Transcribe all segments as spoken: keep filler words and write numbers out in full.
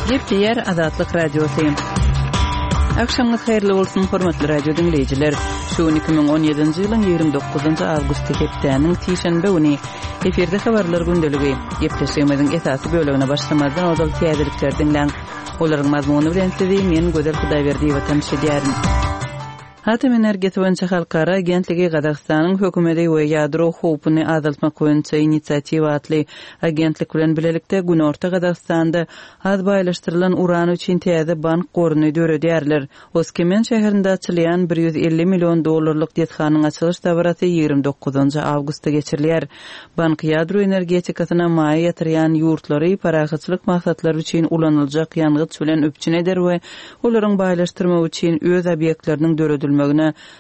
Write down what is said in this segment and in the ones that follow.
Gepleýär Azatlyk Radiosy. Agşamyňyz haýyrly bolsun, hormatly radio diňleýjiler. Şu gün iki müň on ýedinji ýylyň ýigrimi dokuzynjy awgusty hepdäniň sişenbe güni. Efirde habarlar gündeligi. Gepleşigimiziň esasy bölegine başlamazdan ozal täzelikleri diňläň. Olaryň mazmuny bilen sizi men Gözel Hudaýberdiýewa tanyş edýärin. Atom energiýasy boýunça halkara agentligi Gazagystanyň hökümeti we ýadro howpuny azaltmak boýunça inisiatiwa atly agentlik bilen bilelikde Günorta Gazagystanda az baýlaşdyrylan uran üçin täze bank goruny döredýärler. Oskemen şäherinde açylýan bir ýüz elli million dollarlyk desganyň açylyş dabarasy ýigrimi dokuzynjy awgustda geçirilýär. Bank ýadro energetikasyna maýa ýatyrýan ýurtlary parahatçylyk maksatlary üçin ulanyljak ýangyç bilen üpjün eder we olaryň baýlaşdyrmak üçin öz obýektleriniň döredilmegine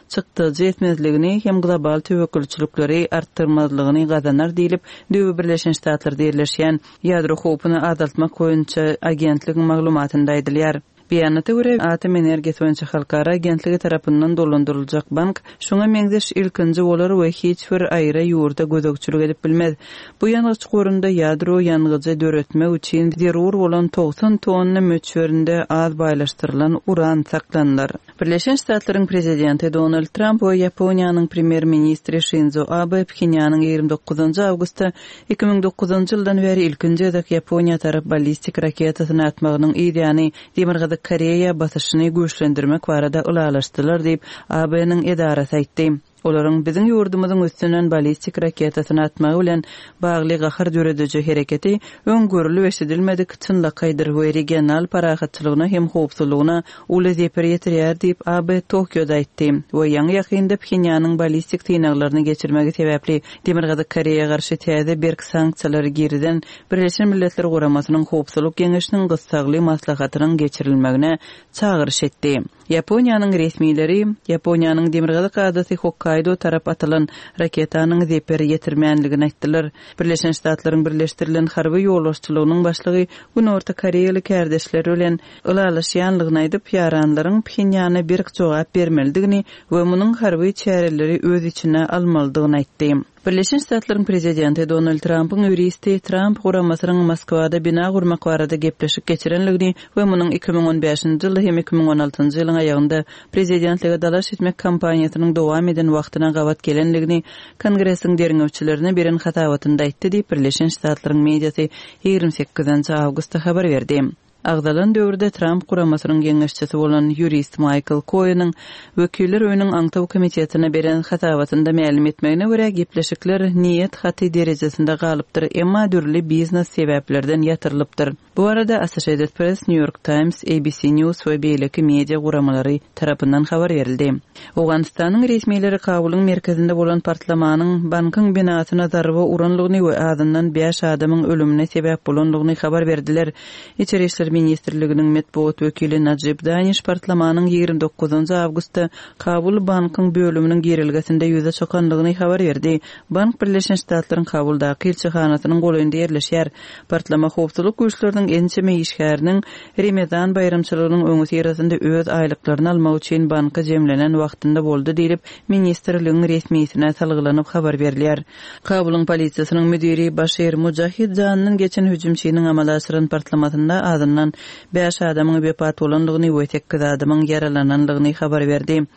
çykdajy etmezligini hem global töwekgelçilikleri artdyrmazlygyny gazanar diýlip, Döwlet Birleşen Ştatlarda ýerleşýän ýadro howpuny azaltmak boýunça agentligiň maglumatynda aýdylýar. Beýanata görä, Atom energiýasy boýunça halkara agentligi tarapyndan dolandyryljak bank şoňa meňzeş ilkinji bolar we hiç bir aýry ýurda gözegçilik edip bilmez. Bu ýangyç gorunda ýadro ýangyjy döretmek üçin zerur bolan togsan tonna möçberinde az baýlaşdyrylan uran saklanylar. Birleşen Ştatlaryň prezidenti Donald Tramp we Ýaponiýanyň premýer-ministri Şinzo Abe Phenýanyň ýigrimi dokuzynjy awgustda iki müň dokuzynjy ýyldan bäri ilkinji gezek Ýaponiýa tarap ballistik raketasyny atmagynyň yz ýany Demirgazyk Koreýa basyşyny güýçlendirmek barada ylalaşdylar diýip, A B-niň edarasy aýtdy. Olaryň biziň ýurdumyzyň üstünden ballistik raketasyny atmagy bilen bagly gahar dörediji hereketi öň görülip eşidilmedik çynlakaýdyr we regional parahatçylygyna hem howpsuzlygyna uly zeper ýetirýär diýip, A B Tokioda aýtdy. We ýaňy ýakynda Phenýanyň ballistik synaglaryny geçirmegi sebäpli Demirgazyk Koreýa garşy täze berk sanksiýalary girizen Birleşen Milletler Guramasynyň Howpsuzlyk Geňeşiniň gyssagly maslahatynyň geçirilmegine çagyryş etdi. Ýaponiýanyň resmileri Ýaponiýanyň Demirgazyk adasy Hokkaido tarap atylan raketanyň zeper ýetirmänligini aýtdylar. Birleşen Ştatlaryň Birleşdirilen harby ýolbaşçylygynyň başlygy Günorta Koreýaly kärdeşleri bilen ylalaşýanlygyny aýdyp, ýaranlaryň Phenýana berk jogap bermelidigini we munuň harby çäreleri öz içine almalydygyny aýtdy. Birleşen Ştatlaryň prezidenti Donald Trumpyň ýuristi Trump guramasynyň Moskwada bina gurmak barada gepleşik geçirenligini we munuň iki müň on bäşinji ýylda hem iki müň on altynjy ýylyň aýagynda prezidentlige dalaş etmek kampaniýasynyň dowam eden wagtyna gabat gelenligini Kongresiň derňewçilerine beren hasabatynda aýtdy diýip Birleşen Ştatlaryň mediasy ýigrimi sekizinji awgustda habar berdi. Agzalan döwürde Trump guramasynyň geňeşçisi bolan ýurist Michael Cohen'in Wekiller öýüniň aňtaw komitetine beren hasabatynda mälim etmegine görä gepleşikler niýet haty derejesinde galypdyr, emma dürli biznes sebäplerden ýatyrylypdyr. Bu arada Associated Press, New York Times, A B C News we beýleki media guramalary tarapyndan habar berildi. Owganystanyň resmileri Kabulyň merkezinde bolan partlamanyň bankyň binasyna zarba uranlygyny we azyndan bäş adamyň ölümine sebäp bolanlygyny habar berdiler. İçeri İşler Ministrliginiň metbugat wekili Najib Daniş partlamanyň ýigrimi dokuzynjy awgustda Kabul bankyň bölüminiň girilgesinde ýüze çykanlygyny habar berdi. Bank Birleşen Ştatlaryň Kabuldaky ilçihanasynyň golaýynda ýerleşýär. Partlama howpsuzlyk güýçleriniň ençeme işgäriniň Remezan baýramçylygynyň öňi syrasynda öz aýlyklaryny almak üçin banka jemlenen wagtynda boldy diýlip, ministrligiň resmisine salgylanyp habar berilýär. Kabulyň polisiýasynyň müdiri Başir Mujahid janynyň geçen hüjümçiniň amala aşyran partlamasynda azyndan bäş adamyň wepat bolanlygyny we sekiz adamyň ýaralananlygyny habar berdi.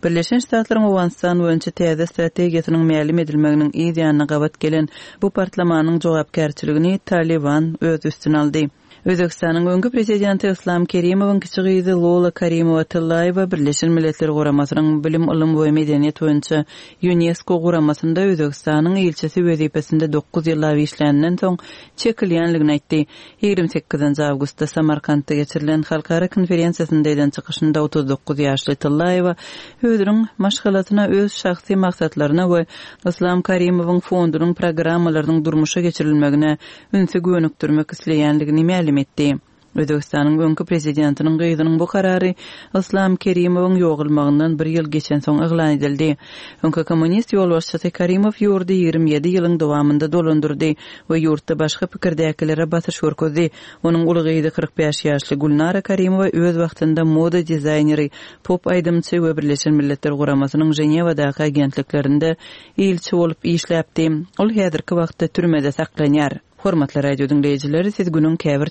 Birleşen Ştatlaryň Owganystan boýunça täze strategiýasynyň mälim edilmeginiň yz ýanyna gabat gelen bu partlamanyň jogapkärçiligini Taliban öz üstüne aldy. Özbekistanyň öňki prezidenti Islam Kerimowyň kiçi gyzy Lola Karimowa Tillaýewa Birleşen Milletler Guramasynyň Bilim, Ylym we Medeniýet boýunça UNESCO guramasynda Özbekistanyň ilçisi wezipesinde dokuz ýyllap işläninden soň çekilýänligini aýtdy. Ýigrimi sekizinji awgustda Samarkantda geçirilen halkara konferensiýasynda eden çykyşynda otuz dokuz ýaşly Tillaýewa özüniň maşgalasyna öz şahsy maksatlaryna we Islam Karimowyň fondunyň programmalarynyň durmuşa geçirilmegine ünsi gönükdirmek isleýänligini mälim etdi. Özbekistanyň öňki prezidentiniň gyzynyň bu karary Islam Kerimowyň ýogalmagyndan bir ýyl geçen soň yglan edildi. Öňki kommunist ýolbaşçysy Karimow ýurdy ýigrimi ýedi ýylyň dowamynda dolandyrdy we ýurtda başga pikirdäkilere basyş görkezdi. Onuň uly gyzy kyrk bäş ýaşly Gülnara Karimowa öz wagtynda moda dizaýneri, pop aýdymçy we Birleşen Milletler Guramasynyň Ženewadaky agentliklerinde ilçi bolup işläpdi. Ol häzirki wagtda türmede saklanýar. Hormatly radio diňleýjiler, siz günüň käbir